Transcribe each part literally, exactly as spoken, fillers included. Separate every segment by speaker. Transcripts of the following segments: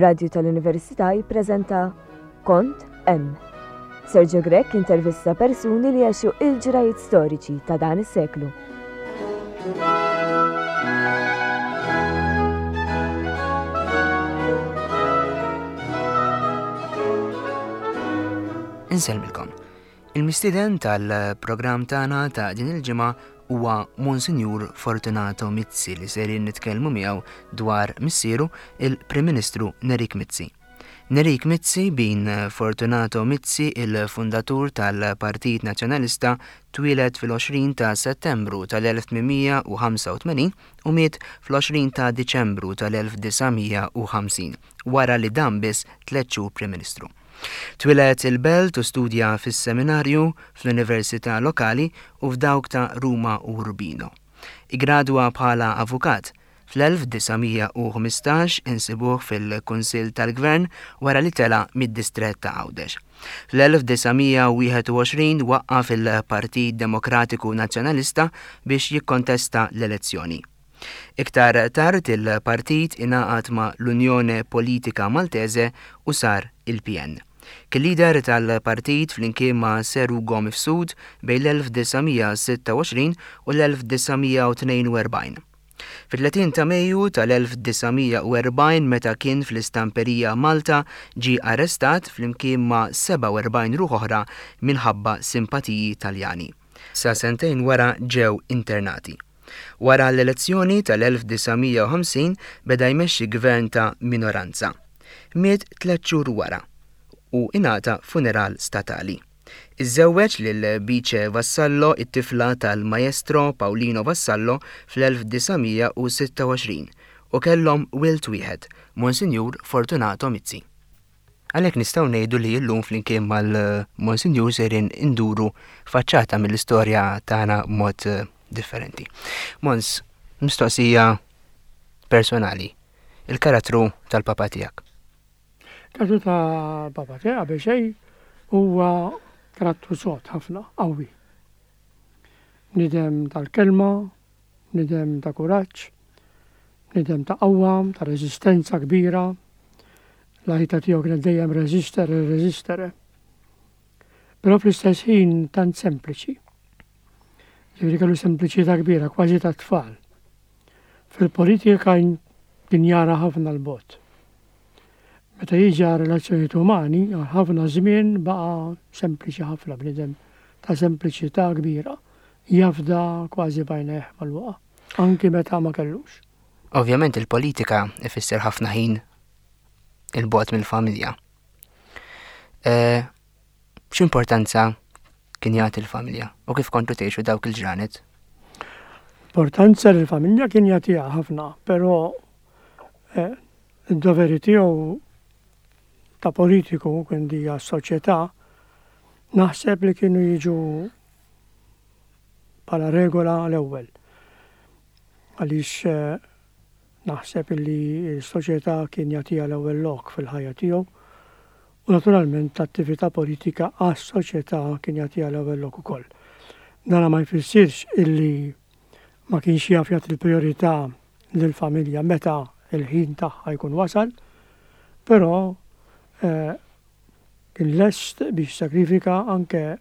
Speaker 1: Ir-Radju tal-Università jippreżenta Kont Hemm. Sergio Grech intervista persuni li għexu il-ġrajiet storiċi ta' dan is-seklu.
Speaker 2: Insellmilkom. Il-mistieden tal-programm tagħna ta' din il-ġimgħa huwa Monsinjur Fortunato Mizzi li serin nitkellmu miegħu dwar missieru il-Prim Ministru Nerik Mizzi. Nerik Mizzi bin Fortunato Mizzi, il-fundatur tal-Partit Nazzjonalista, twieled fil-għoxrin ta' Settembru tal-elf tmien mija u ħamsa u tmenin u miet fl-għoxrin ta' Diċembru tal-elf disa' mija u ħamsin, wara li dam biss tliet xhur Prim Ministru. Twieled il-Belt u studja fis-seminarju fl-Università Lokali u f'dawk ta' Ruma u Urbino. Igradwa bħala avukat. Fl-elf disa' mija u ħmistax insibuh fil-Kunsill tal-Gvern wara li tela' mid-distrett ta' Għawdex. Fl-elf disa' mija u wieħed u għoxrin waqqaf il-Partit Demokratiku Nazzjonalista biex jikkontesta l-elezzjoni. Iktar tard il-partit ingħaqad ma' l-Unjone Politika Maltese u sar il-P N. Kien leader tal-partit flimkien ma' Sir Ugo Mifsud bejn l-elf disa' mija sitta u għoxrin u l-elf disa' mija u tnejn u erbgħin. Fit-tletin ta' Mejju tal-elf disa' mija u erbgħin meta kien fl-istamperija Malta ġie arrestat flimkien ma' seba' u erbgħin ruħ oħra minħabba simpatiji Taljani. Sa sentejn wara ġew internati. Wara l-elezzjoni tal-elf disa' mija u ħamsin beda jmexxi gvern ta' minoranza. Miet tliet xhur wara u ingħata funeral statali. Iżżewweġ lil Bice Vassallo, it-tifla tal-maestro Paolino Vassallo fl-elf disa' mija u sitta u għoxrin u kellhom wild wieħed, Monsinjur Fortunato Mizzi. Għalhekk nistgħu ngħidu li llum flimkien mal-Monsinjur sejrin induru faċċata mill-istorja tagħna b'mod differenti. Mons, mistoqsija personali, il-karattru tal-papa tiegħek.
Speaker 3: Karattru tal-papa tiegħek qabel xejn huwa karattru sod ħafna, qawwi. Bniedem tal-kelma, bniedem ta' kuraġġ, bniedem ta' qawwa, ta' reżistenza kbira. L-ħajta tiegħu kienet dejjem reżistere, reżistere. Però fl-istess ħin tant sempliċi. Ġifieri kellu sempliċità kbira, kważi ta' tfal. Fil-politika kien jara ħafna l-bogħod. Meta jiġi għal relazzjonijiet umani, għal ħafna żmien baqa' sempliċi ħafna, bniedem ta' sempliċità kbira, jafda kważi b'għajnejh mal-waqa, anki meta ma kellux.
Speaker 2: Ovvjament il-politika ifisser ħafna ħin il-bogħod mill-familja. Eh, x'importanza kien jagħti l-familja u kif kontu tgħixu dawk il-ġranet?
Speaker 3: Importanza lill-familja kien jagħtiha ħafna, però, eh, id-doveri tiegħu ta' politiku, quindi għas-soċjetà, naħseb li kienu jiġu bħala regola l-ewwel. Għaliex, eh, naħseb li s-soċjetà kien jagħtiha l-ewwel lok fil-ħajja tiegħu u naturalment l-attività politika għas-soċjetà kien jagħtiha l-ewwel lok ukoll. Dan ma jfissirx illi ma kienx jaf jagħti l-priorità lill-familja meta l-ħin tagħha jkun wasal, però, eh, kien lest biex sakrifika anke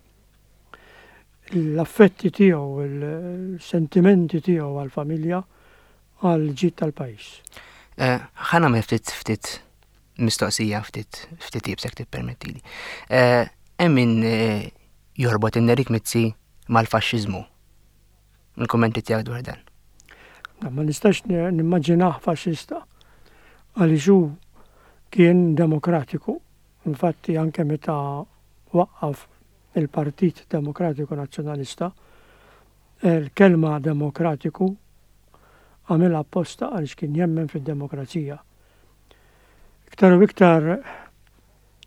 Speaker 3: l-affetti tiegħu, il-sentimenti tiegħu għall-familja, għall-ġid tal-pajjiż.
Speaker 2: Eh, ħa nagħmel ftit, ftit mistoqsija, ftit, ftit iebsek tippermettili. Eh, hemm min, eh, jorbot in-Nerik Mizzi mal-faxxiżmu. Il-kummenti tiegħek dwar dan?
Speaker 3: Na, ma nistax ni-, nimmaġinah faxxista għaliex hu kien demokratiku. Infatti anke meta waqqaf il-Partit Demokratiku Nazzjonalista, il-kelma demokratiku għamilha apposta għaliex kien jemmen fid-demokrazija. Iktar u iktar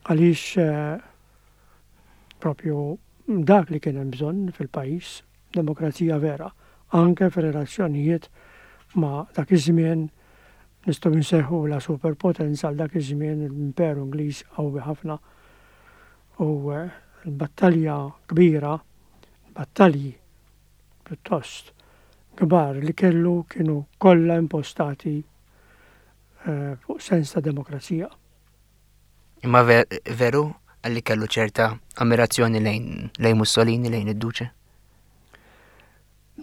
Speaker 3: għaliex, eh, propju dak li kien hemm bżonn fil-pajjiż, demokrazija vera, anke fir-relazzjonijiet ma' dak iż-żmien nistgħu nsejħu la superpotenza għal dak iż-żmien l-Imperu Ingliż qawwi ħafna u, eh, l-battalja kbira, battalji pjuttost kbar li kellu kienu kollha impostati, eh, fuq sens ta' demokrazija.
Speaker 2: Imma veru għalli kellu ċerta ammirazzjoni lejn lejn Mussolini, lejn id-Duce?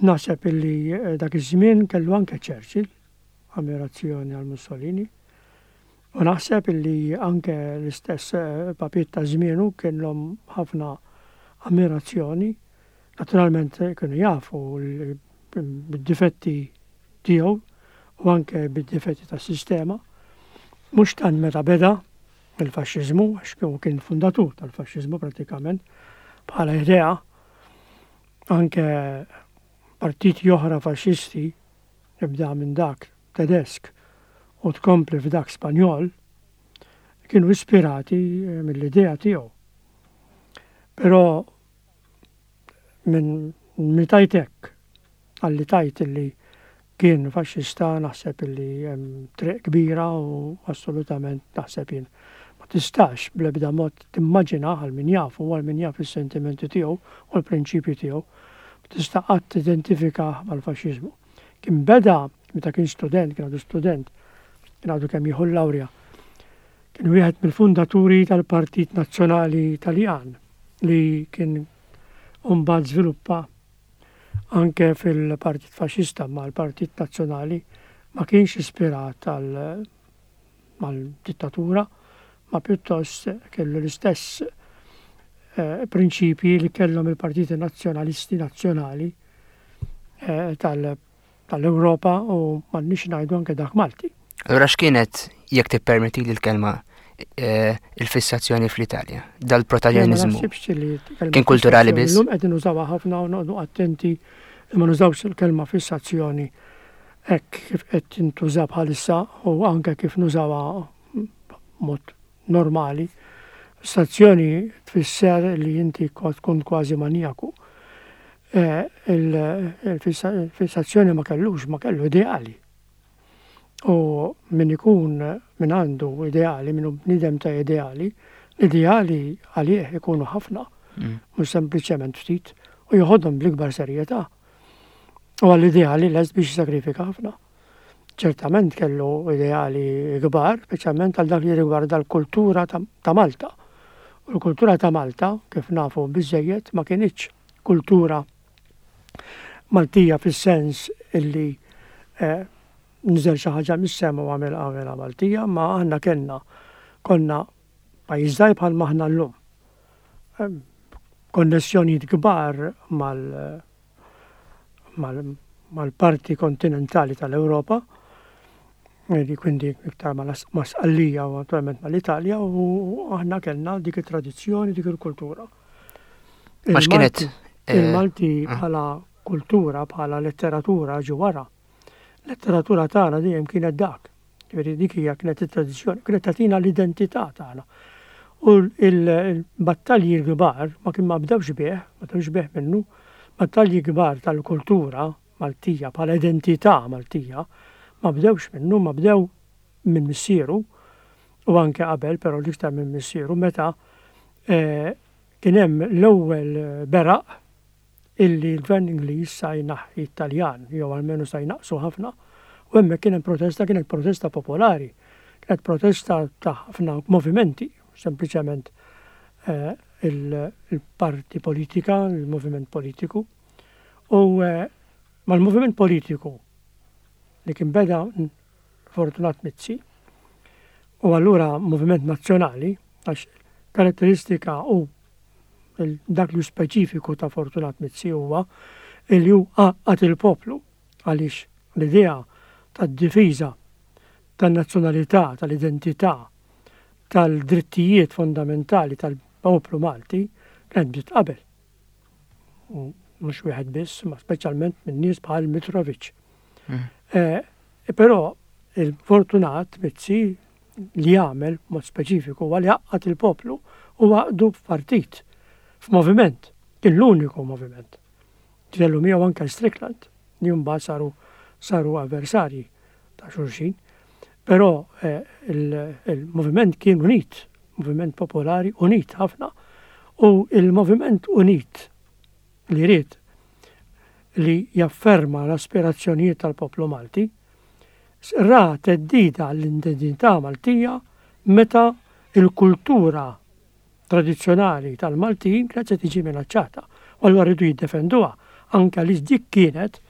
Speaker 3: Naħseb illi eh, dak iż-żmien kellu anke Churchill ammirazzjoni għal Mussolini. U naħseb illi anke l-istess eh, papiet ta' żmienu kellhom ħafna ammirazzjoni. Naturalment eh, kienu jafu bid-difetti tiegħu u anke bid-difetti tas-sistema. Mhux tant meta beda il-faxxiżmu, għax kien fundatur tal-faxxiżmu pratikament, bħala idea, anke partiti oħra faxxisti, ibda minn dak Tedesk u tkompli f'dak Spanjol, kienu ispirati eh, mill-idea tiegħu. Però minn mitajtek għalli tajt illi kien faxxista, naħseb illi hemm triq kbira u assolutament naħseb jien ma tistax bl-ebda mod timmaġina, għal min jafu, għal min jaf is-sentimenti tiegħu u l-prinċipji tiegħu, ma tista' qatt tidentifika mal-faxxiżmu. Kien beda meta kien student, kien għadu student, kien għadu kemm jieħu l-lawrja. Kien wieħed mill-fundaturi tal-Partit Nazzjonali Taljan li kien mbagħad żviluppa anke fil-Partit Faxxista, ma l-Partit Nazzjonali ma kienx ispirat mal-dittatura, ma pjuttost kellu l-istess eh, prinċipji li kellhom il-partiti nazzjonalisti nazzjonali eh, tal-Ewropa u m'għandniex ngħidu anke dak Malti.
Speaker 2: Allura x'kienet, jekk tippermetti li l-kelma, eh, il-fissazzjoni fl-Italja, dal-protagonizmu? Kien kulturali biss?
Speaker 3: Illum qed nużawha ħafna u noqogħdu attenti li ma nużawx il-kelma fissazzjoni hekk kif qed tintuża bħalissa u anke kif nużawha mod normali. Fissazzjoni tfisser li inti tkun kważi manijaku. Eh, il-fissazzjoni ma kellux, ma kellu ideali. U min ikun min għandu ideali, min hu bniedem ta' ideali, l-ideali għalih ikunu ħafna, mm. mhux sempliċement ftit, u joħodhom bl-ikbar serjetà. U għall-ideali lest biex sakrifika ħafna. Ċertament kellu ideali kbar, speċjalment għal dak li rigwarda l-kultura ta' Malta. U l-kultura ta' Malta, kif nafu biżejjed, ma kinitx kultura Maltija fis-sens illi eh, niżel xi ħaġa mis-sema u għamel għamela Maltija, ma aħna kellna konna pajjiż żgħir bħal maħna llum. Konnessjonijiet kbar mal mal-parti kontinentali tal-Ewropa, li quindi iktar ma' Sqallija u naturalment mal-Italja, u aħna kellna dik it-tradizzjoni, dik il-kultura.
Speaker 2: Ma x'kienet?
Speaker 3: Il-Malti bħala kultura, bħala letteratura ġi wara. Letteratura tagħna dejjem kienet dak. Ġifieri dik hija kienet it-tradizzjoni, kienet tagħtina l-identità tagħna. U l-battalji kbar ma kien ma bdewx bih, ma bdewx bih minnu, battalji kbar tal-kultura Maltija bħala identità Maltija ma bdewx minnu, ma bdew minn missieru u anke qabel, però l-iktar minn missieru, meta kien hemm l-ewwel beraq illi l-gvern Ingliż sa jnaħħi Italjan, jew almenu sa jnaqsu ħafna, u hemmhekk kien hemm protesta, kienet protesta popolari, kienet protesta ta' ħafna movimenti, sempliċement eh, il-parti politika, il-moviment politiku. U eh, mal-moviment politiku li kien beda Fortunat Mizzi, u allura moviment nazzjonali, għax karatteristika u dak li speċifiku ta' Fortunat Mizzi huwa li hu għaqqad il-poplu, għaliex l-idea tad-difiża tan-nazzjonalità, tal-identità, tal-drittijiet fondamentali tal-poplu Malti kienet bdiet qabel. Mhux wieħed biss, ma speċjalment minn nies bħal Mitrovic. Mm. Eh, però il-Fortunat Mizzi li għamel mod speċifiku huwa li għaqqad il-poplu u għaqdu f'partit, f'moviment, kien l-uniku moviment. Kellu miegħu anke Strickland, li mbagħad saru saru avversarji ta' xulxin. Però eh, il-moviment kien unit, moviment popolari unit ħafna. U il-moviment unit li ried li jafferma l-aspirazzjonijiet tal-poplu Malti, ra theddida l-identità Maltija meta Il-kultura tradizzjonali tal-Maltin kienet se tiġi minaċċata. U allura rridu jiddefenduha anke li dik kienet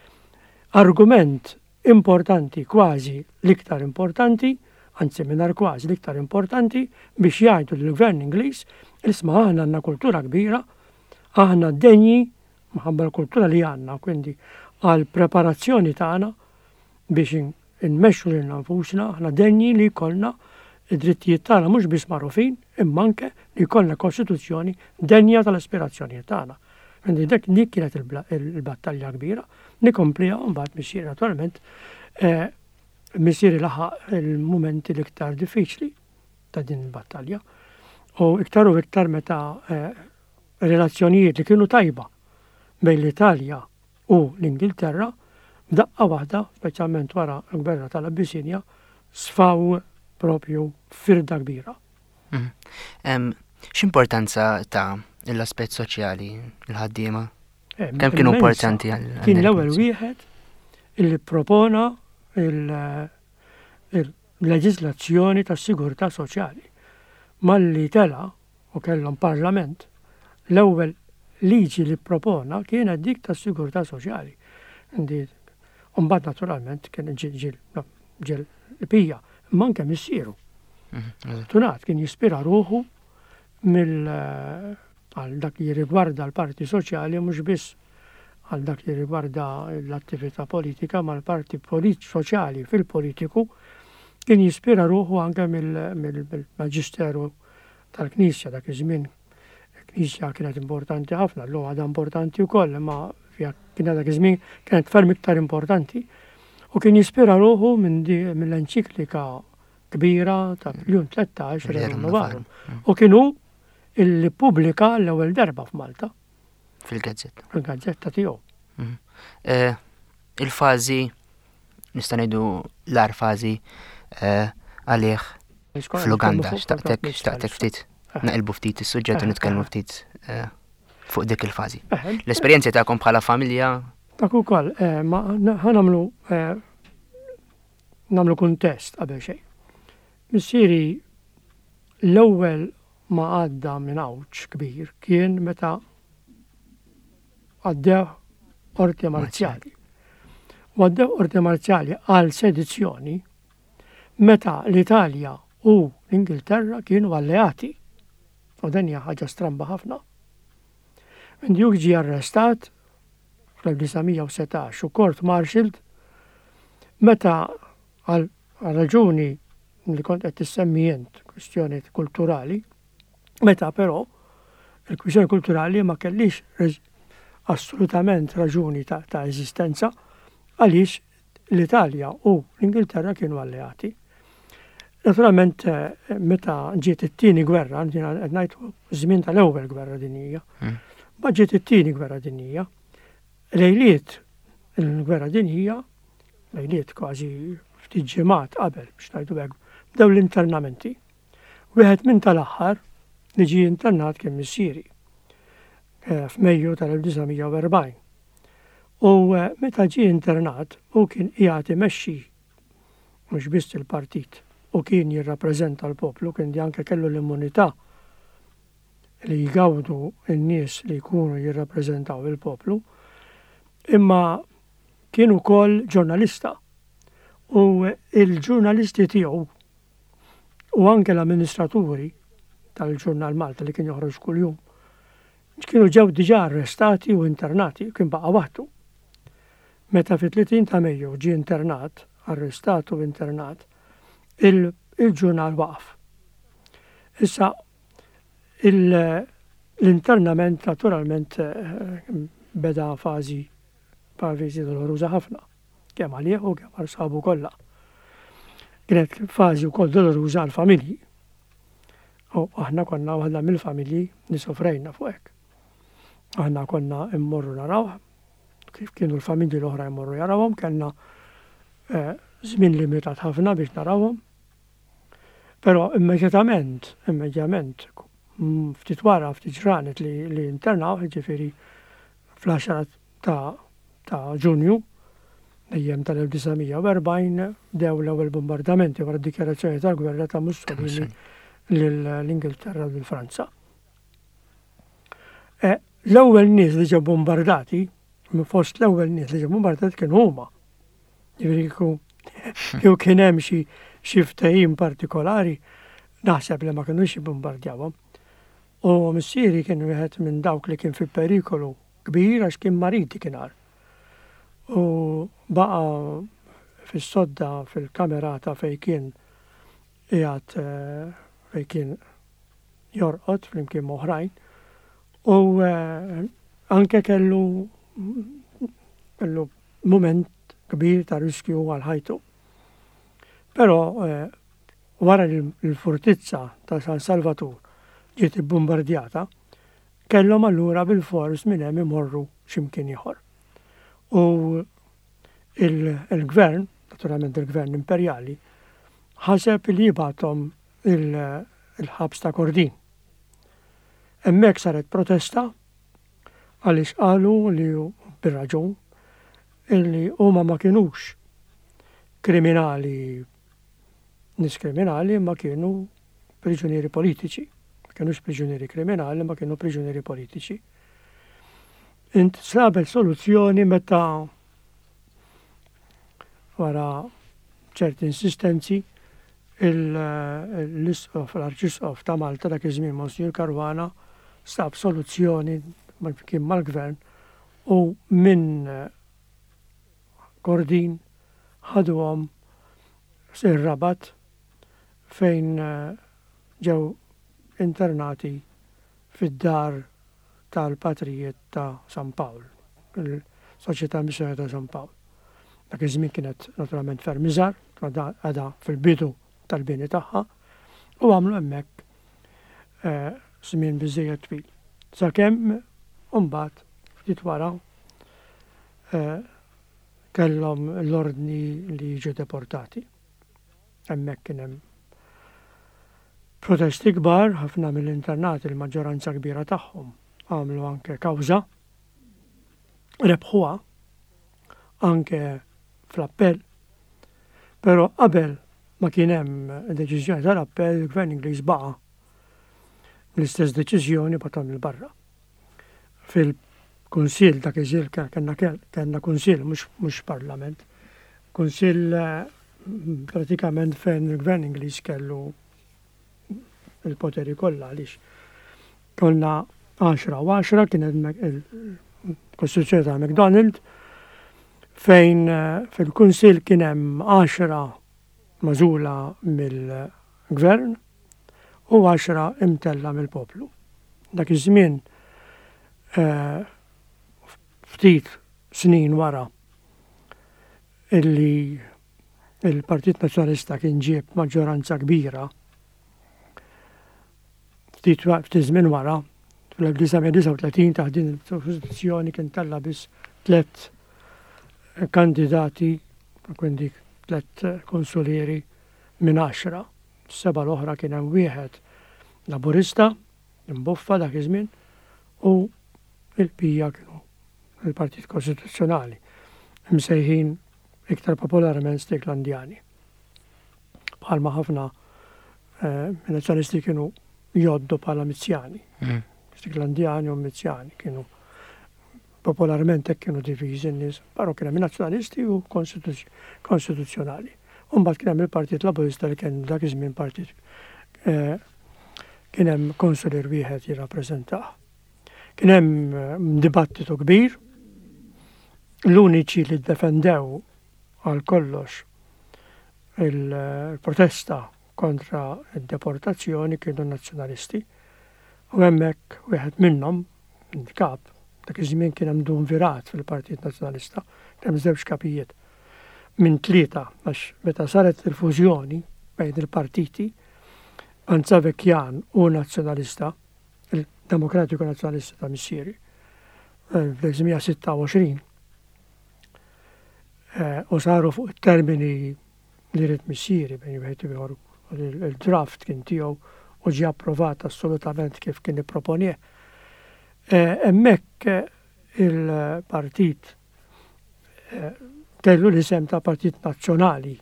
Speaker 3: argument importanti, kważi l-iktar importanti, anzi mingħajr kważi l-iktar importanti, biex jgħidu lill-gvern Ingliż, isma', aħna għandna kultura kbira, aħna denji minħabba l-kultura li għandna, quindi għal preparazzjoni tagħna biex nmexxu lilna nfusna, aħna denji li jkollna id-drittijiet tagħna mhux biss magħrufin, imma anke li jkollna kostituzzjoni denja tal-aspirazzjonijiet tagħna. Quindi dik dik kienet il-battalja kbira, nkompliha mbagħad missieri naturalment, eh, missieri laħaq il-mumenti l-iktar diffiċli ta' din il-battalja. U iktar u iktar meta eh, relazzjonijiet li kienu tajba bejn l-Italja u l-Ingilterra, f'daqqa waħda, speċjalment wara l-gwerra tal-Abissinja, sfaw propju firda kbira.
Speaker 2: Mhm. X'importanza ta l-aspett soċjali, il-ħaddiema? Eh, Kemm kienu importanti għal?
Speaker 3: Kien l-ewwel wieħed illi propona il-leġislazzjoni tas-sigurtà soċjali. Malli tela u kellhom parlament, l-ewwel liġi li propona kienet dik tas-sigurtà soċjali. Mbagħad naturalment kien ġil pija, imma anke missieru. Mhm, Tunat kien jispira ruħu mill għal dak li rigwarda l-parti soċjali, mhux biss għal dak li rigwarda l-attività politika, ma l-parti soċjali fil-politiku kien jispira ruħu anke mill-maġisteru tal-Knisja. Dak iż-żmien il-Knisja kienet importanti ħafna, llum għadha importanti wkoll, imma kien dak iż-żmien kienet ferm iktar importanti. U kien jispira ruħu mill-enċiklika kbira ta' Pjun Tlettax, Rerum Novarum. U kienu illi pubblika l-ewwel darba f'Malta.
Speaker 2: Fil-gazzetta.
Speaker 3: Fil-gazzetta tiegħu.
Speaker 2: Mhm. Eh, il-fażi, nista' ngħidu l-agħar fażi eh, għalih fl-Uganda, xtaqtek xtaqtek ftit eh. naqilbu ftit is-suġġett u nitkellmu ftit fuq dik il-fażi. L-esperjenzi tagħkom bħala familja?
Speaker 3: Dak ukoll, ma ħa nagħmlu nagħmlu kuntest qabel xejn. Missieri l-ewwel ma għadda minn għawġ kbir kien meta għaddew qorti marzjali. U għaddew qorti marzjali għal sedizzjoni meta l-Italja u l-Ingilterra kienu alleati. U dan hija ħaġa stramba ħafna. Hu ġie arrestat fl-elf disa' mija u setax u court martialed meta għal raġuni li kont qed tissemmi int, kwistjoni kulturali, meta però il-kwistjoni kulturali ma kellix assolutament raġuni ta', ta eżistenza għaliex l-Italja u l-Ingilterra kienu alleati. Naturalment, eh, meta ġiet it-tieni gwerra, qed ngħid żmien tal-ewwel gwerra dinjija, mm. ma ġiet it-tieni gwerra dinjija, lejliet il-gwerra dinjija, lejliet kważi ftit ġimgħat qabel biex ngħidu hekk, bdew l-internamenti. Wieħed minn tal-aħħar li ġie internat kien missieri eh, f'Mejju tal-elf disa' mija u erbgħin. U eh, meta ġie internat u kien qiegħed imexxi mhux biss il-partit u kien jirrappreżenta l-poplu, kien anke kellu l-immunità li jgawdu n-nies li jkunu jirrappreżentaw il-poplu, imma kien ukoll ġurnalista. U il-ġurnalisti tiegħu u anke l-amministraturi tal-ġurnal Malta li kien joħroġ kuljum kienu ġew diġà arrestati u internati, kien baqa' waħdu. Meta fit-tletin ta' Mejju ġie internat, arrestat u internat, il-ġurnal waqaf. Issa, l-internament naturalment eh, beda fażi fażi doloruża ħafna, kemm għalih u kemm għal sħabu kollha. Kienet fażi wkoll doloruża għal familji. U aħna konna waħda mill-familji li sofrejna fuq hekk. Aħna konna immorru naraw, kif kienu l-familji l-oħra jmorru jarawhom, kellna eh, żmien limitat ħafna biex narawhom. Però immedjatament, immedjatament, ftit wara, ftit ġranet li, li internaw, ġifieri fl-għaxra ta', ta' Ġunju, dejjem tal-elf disa' mija u erbgħin, bdew l-ewwel bombardamenti wara d-dikjarazzjoni tal-gwerra ta' Mussolini. Lill-Ingilterra u lil Franza. Eh, l-ewwel nies li ġew bombardati, minn fost l-ewwel nies li ġew bombardati kienu huma. Jiġifieri kieku jew kien hemm xi xi ftehim partikolari, naħseb li ma kinux jibbombardjawhom. U missieri kien wieħed minn dawk li kien fi perikolu kbir għax kien marid kien. U baqa' fis-sodda fil-kamerata fejn kien qiegħed, eh, fejn kien jorqod flimkien m'oħrajn. U eh, anke kellu kellu moment kbir ta' riskju għal ħajtu. Però eh, wara li l-fortizza ta' San Salvatur ġiet bombardjata, kellhom allura bil-fors minn hemm imorru x'imkien ieħor. U il-gvern, naturalment il-gvern imperjali, ħaseb li jibgħathom il-ħabs ta' Kordin. Hemmhekk saret protesta għaliex qalu li, bir-raġun, illi huma ma kienux kriminali, nies kriminali, ma kienu priġunieri politiċi. Ma kienux priġunieri kriminali, ma kienu priġunieri politiċi. Instabet soluzzjoni meta wara ċerti insistenzi l-isqof, l-arċisqof ta' Malta dak iż-żmien, Monsignor Caruana, sab soluzzjoni kien mal-gvern u minn Kordin ħaduhom ir-Rabat fejn eh, ġew internati fid-dar tal-patrijiet ta' San Pawl, il-Soċjetà Missjoni ta' San Pawl. Dak iż-żmien kienet naturalment ferm iżgħar, għadha fil-bidu tal-bini tagħha, u għamlu hemmhekk eh, żmien biżejjed twil. Sakemm mbagħad ftit wara eh, kellhom l-ordni li jiġu deportati. Hemmhekk kien hemm protesti kbar, ħafna mill-internati, il-maġġoranza kbira tagħhom, għamlu anke kawża, rebħuha anke fl-appell, però qabel ma kien hemm deċiżjoni tal-appell, il-Gvern Ingliż baqa' l-istess deċiżjoni, bagħathom 'il barra. Fil-Kunsill, dak iż kellna kellna kunsill, mhux parlament, kunsill eh, pratikament fejn il-Gvern Ingliż kellu il-poteri kollha, għaliex konna għaxra u għaxra, kienet il-Kostituzzjoni ta' McDonald, fejn eh, fil-kunsill kien hemm għaxra magħżula mill-gvern u għaxra imtella mill-poplu. Dak iż-żmien, eh, ftit snin wara illi il-Partit Nazzjonalista kien ġieb maġġoranza kbira, ftit ftit żmien wara, fl-elf disa' mija disgħa u tletin, taħt din il-Kostituzzjoni kien tella biss tliet kandidati, quindi tliet konsulieri minn għaxra. Seba' l-oħra kien hemm wieħed Laburista, imboffa dak iż-żmien, u il-bqija kienu il-Partit Kostituzzjonali, msejħin iktar popolarment Sticklandjani. Bħalma ħafna eh, nazzjonalisti kienu joddu bħala Mizzjani.
Speaker 2: Mm.
Speaker 3: Sticklandjani u Mizzjani kienu popolarment hekk kienu diviżi n-nies, però kien hemm nazzjonalisti u konstituzzjonali. U mbagħad kien hemm il-Partit Laburista li kien dak iż-żmien partit eh, kien hemm konsulier wieħed jirrappreżentah. Kien hemm eh, dibattitu kbir, l-uniċi li ddefendew għal kollox il-protesta kontra id-deportazzjoni kienu nazzjonalisti. U hemmhekk wieħed minnhom, il-kap, dak iż-żmien kien hemm duumvirat fil-Partit Nazzjonalista, kien hemm żewġ kapijiet minn tlieta, għax meta saret il-fużjoni bejn il-partiti Panzavecchian u Nazzjonalista, il-Demokratiku Nazzjonalista ta' missieri, eh, fl-elf disa' mija sitta u għoxrin, eh, u saru fuq it-termini li ried missieri, bejn wieħed u ieħor il-draft kien tiegħu u ġie approvat assolutament kif kien ipproponih. Eh, hemmhekk il-partit kellu l-isem ta' Partit Nazzjonali,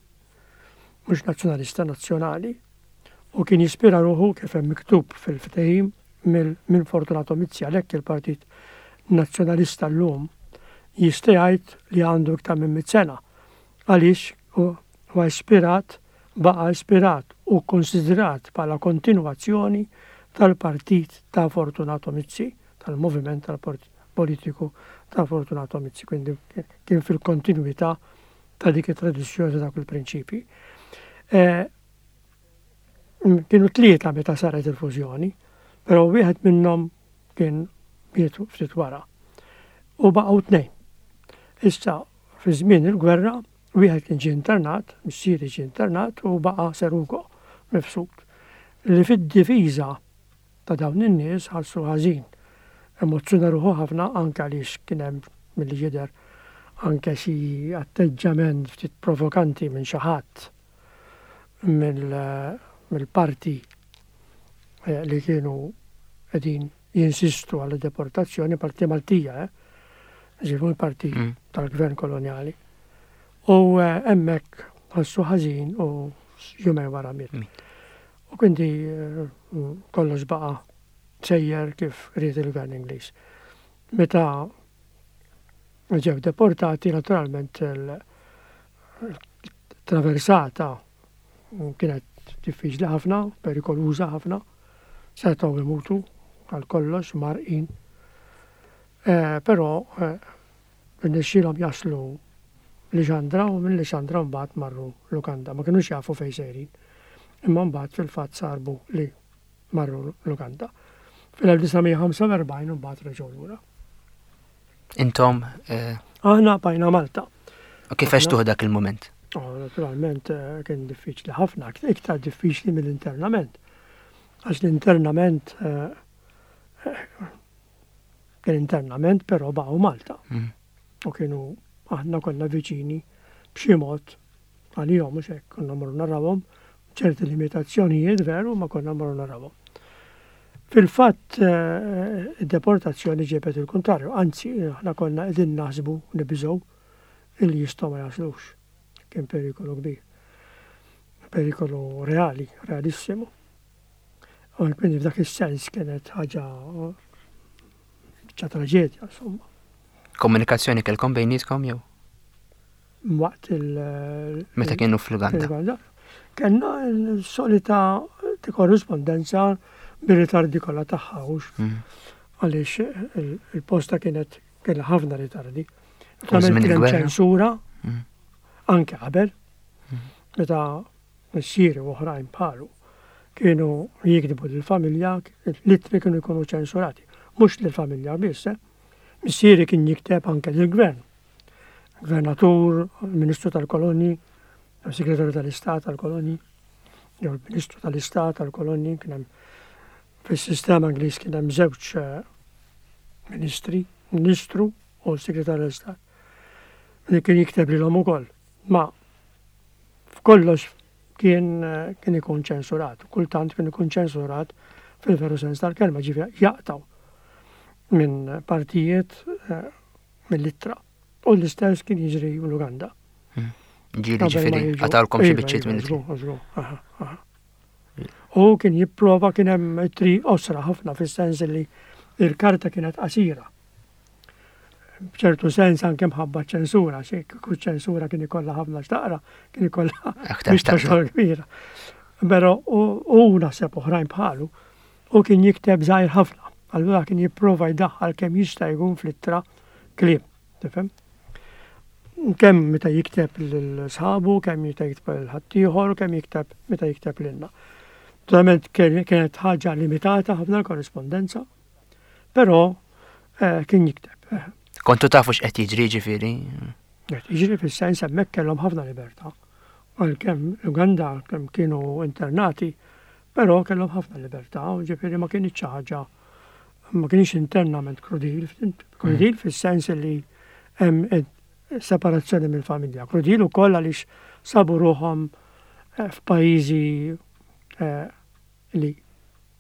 Speaker 3: mhux Nazzjonalista, Nazzjonali, U kien jispira ruħu kif hemm miktub fil-ftehim minn Fortunato Mizzi, għalhekk il-Partit Nazzjonalista llum jista' jgħid li għandu iktar minn mitt sena. Għaliex huwa ispirat, baqa' ispirat u konsidrat bħala kontinwazzjoni tal-partit ta' Fortunato Mizzi, tal-moviment tal-politiku ta' Fortunato Mizzi, quindi kien fil-kontinuità ta' dik it-tradizzjoni, ta' dak il-prinċipi. Kienu tlieta meta saret il-fużjoni, però wieħed minnhom kien miet ftit wara. U baqgħu tnejn. Issa, fi żmien il-gwerra, wieħed kien ġie internat, missieri ġie internat u baqa' Sir Ugo Mifsud, li fid-difiża ta' dawn in-nies ħassu ħażin. Emozzjona ruħu ħafna anke għaliex kien hemm milli jidher anke xi atteġġament ftit provokanti minn xi ħadd mill-parti li kienu qegħdin jinsistu għal deportazzjoni, parti Maltija, eh? Ġifieri parti mm. tal-gvern koloniali. U hemmhekk ħassu ħażin u jumejn wara miet. U quindi kollox baqa' sejjer kif ried il-gvern Ingliż. Meta ġew deportati, naturalment il-traversata kienet diffiċli ħafna, perikoluża ħafna, setgħu imutu għal kollox mgħarrqin. Però rnexxielhom jaslu Lixandra u minn Lixandra mbagħad marru l-Uganda. Ma kinux jafu fejn sejrin. Imma mbagħad fil-fatt sarbu li marru l-Uganda. Fil-elf disa' mija ħamsa u erbgħin mbagħad reġgħu lura.
Speaker 2: Intom?
Speaker 3: Aħna bqajna Malta.
Speaker 2: U kif għextuh dak il-moment?
Speaker 3: Oh, naturalment kien diffiċli ħafna, iktar diffiċli mill-internament. Għax l-internament kien internament, però baqgħu Malta.
Speaker 2: Mm.
Speaker 3: U kienu aħna konna viċini b'xi mod għalihom, mhux hekk, konna mmorru narawhom, ċerti limitazzjonijiet veru, ma konna mmorru narawhom. Fil-fatt, id-deportazzjoni ġiebet il-kontrarju, anzi, aħna konna qegħdin naħsbu nibżgħu illi jistgħu ma jaslux. Kien perikolu kbir. Perikolu reali, realissimu. U quindi f'dak is-sens kienet ħaġa ċa traġedja, insomma.
Speaker 2: Komunikazzjoni kellkom bejnietkom jew?
Speaker 3: Waqt il-
Speaker 2: Meta kienu fl-Uganda?
Speaker 3: Fl-Uganda. Kellna l-solita korrispondenza bir-ritardi kollha tagħha, hux
Speaker 2: Mm.
Speaker 3: għaliex il-posta kienet kellha ħafna ritardi.
Speaker 2: U żmien
Speaker 3: Kien hemm
Speaker 2: il-gwerra?
Speaker 3: ċensura
Speaker 2: Mm.
Speaker 3: anke qabel,
Speaker 2: Mm.
Speaker 3: meta missieri u oħrajn bħalu kienu jikdbu lill-familja, l-ittri kienu jkunu ċensurati. Mhux lill-familja biss, eh? Missieri kien jikteb anke lill-gvern. Gvernatur, Ministru tal-Kolonji, Segretarju tal-Istat tal-Kolonji, jew il-Ministru tal-Istat tal-Kolonji, kien hemm fis-sistema Ingliż kien hemm żewġ, eh, ministri, ministru u segretarju tal-Istat. Li kien jikteb lilhom ukoll. Ma f'kollox kien, eh, kien ikun ċensurat, kultant kien ikun ċensurat fil-veru sens tal-kelma, ġifieri jaqtaw minn partijiet, eh, mill-ittra. U l-istess kien jiġri l-Uganda.
Speaker 2: Hmm. Ġieli
Speaker 3: Qabel ma
Speaker 2: ġifieri,
Speaker 3: jiġu.
Speaker 2: qatawlkom xi
Speaker 3: Iva,
Speaker 2: biċċiet
Speaker 3: iva,
Speaker 2: minn
Speaker 3: żgur, żgur, aha, aha. U kien jipprova, kien hemm ittri osra ħafna fis-sens li il-karta kienet qasira. B'ċertu sens anke mħabba ċensura, xi kieku ċensura kien ikollha ħafna x'taqra, kien ikollha
Speaker 2: Aktar
Speaker 3: biex ta'
Speaker 2: x'taqra.
Speaker 3: xogħol kbira. Però u, u naħseb oħrajn bħalu, u kien jikteb żgħir ħafna. Allura kien jipprova jdaħħal kemm jista' jkun fl-ittra kliem, tifhem? Kemm meta jikteb lil sħabu, kemm meta jikteb lil ħaddieħor, kemm jikteb meta jikteb lilna. Naturalment kien-, kienet ħaġa limitata ħafna l-korrispondenza, però, eh, kien jikteb.
Speaker 2: Kontu tafu x'qed jiġri ġifieri?
Speaker 3: Qed jiġri fis-sens hemmhekk kellhom ħafna libertà. Għalkemm l-Uganda kemm kienu internati, però kellhom ħafna libertà, u ġifieri ma kienx xi ħaġa, ma kienx internament krudil, krudil
Speaker 2: Mm.
Speaker 3: fis-sens li hemm separazzjoni mill-familja. Krudil ukoll għaliex sabu ruħhom, eh, f'pajjiżi, eh, li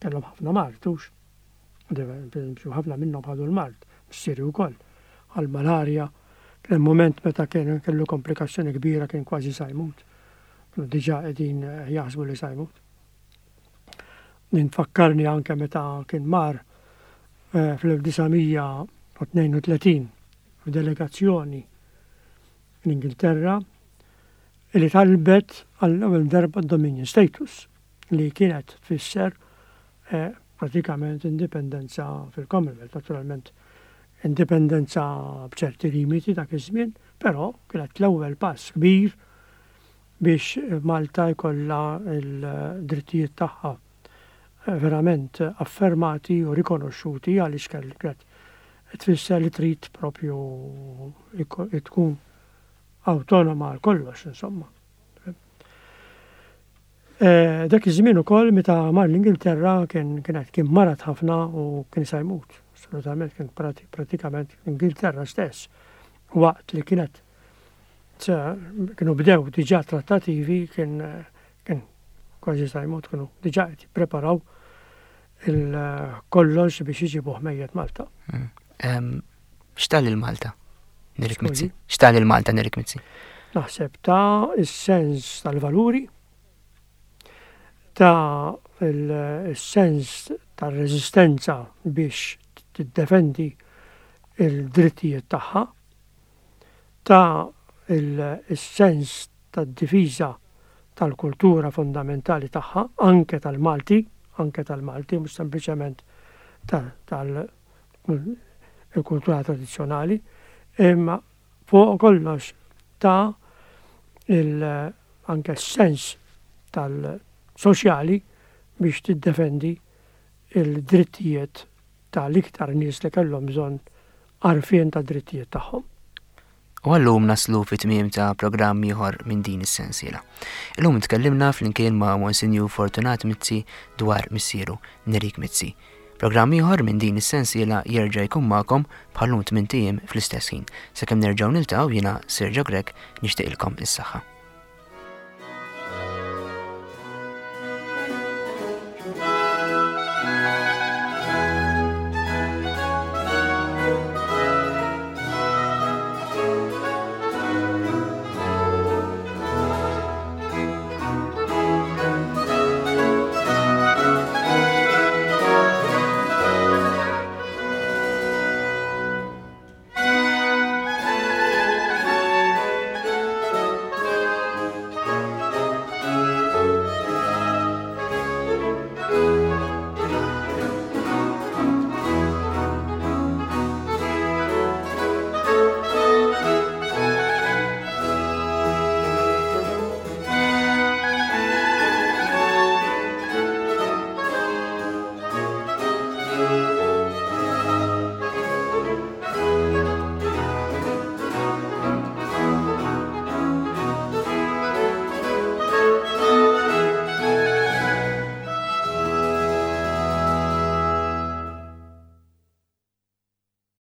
Speaker 3: kellhom ħafna mard, hux. Ħafna minnhom ħadu l-mard, missieri wkoll, għal-malarja. Kien hemm moment meta kien kellu komplikazzjoni kbira, kien kważi sa jmut. Kienu diġà qegħdin, eh, jaħsbu li sa jmut. Ninfakkarni anke meta kien mar eh, fl-elf disa' mija u tnejn u tletin f'delegazzjoni l-Ingilterra li talbet għall-ewwel darba Dominion status, li kienet tfisser eh, pratikament indipendenza fil-Commonwealth, naturalment indipendenza b'ċerti limiti dak iż-żmien, però kienet l-ewwel pass kbir biex Malta jkollha l-drittijiet tagħha verament affermati u rikonoxxuti, għaliex kienet tfisser li trid propju tkun autonoma għal kollox, insomma. Eh, dak iż-żmien ukoll meta mar l-Ingilterra kien kienet kien marat ħafna u kien se jmut. Assolutament, kien pratikament l-Ingilterra stess. Waqt li kienet kienu bdew diġà trattativi, kien kien kważi se jmut, kienu diġà qed jippreparaw il-kollox biex iġibuh mejjet Malta.
Speaker 2: Mm. X'ta lil Malta Nerik Mizzi? X'ta lil Malta Nerik Mizzi?
Speaker 3: Naħseb ta is-sens tal-valuri, ta il-sens tal-reżistenza biex tiddefendi il-drittijiet tagħha, ta il-sens tad-difiża tal-kultura fondamentali tagħha, anke tal-Malti, anke tal-Malti, mhux sempliċement tal-kultura tradizzjonali, imma fuq kollox ta il anke s-sens tal-soċjali biex tiddefendi il-drittijiet tal-iktar nies li kellhom bżonn għarfien ta' drittijiet tagħhom.
Speaker 2: U għallum naslu fi tmiem ta' programm ieħor minn din is-sensiela. Illum tkellimna flimkien ma' Monsinjur Fortunat Mizzi dwar missieru Nerik Mizzi. Programm ieħor minn din is-sensiela jerġa' jkun magħkom bħallum tmint ijiem fl-istess ħin. Sakemm nerġgħu niltaqgħu, jiena Sergio Grech nixtieqilkom is-saħħa.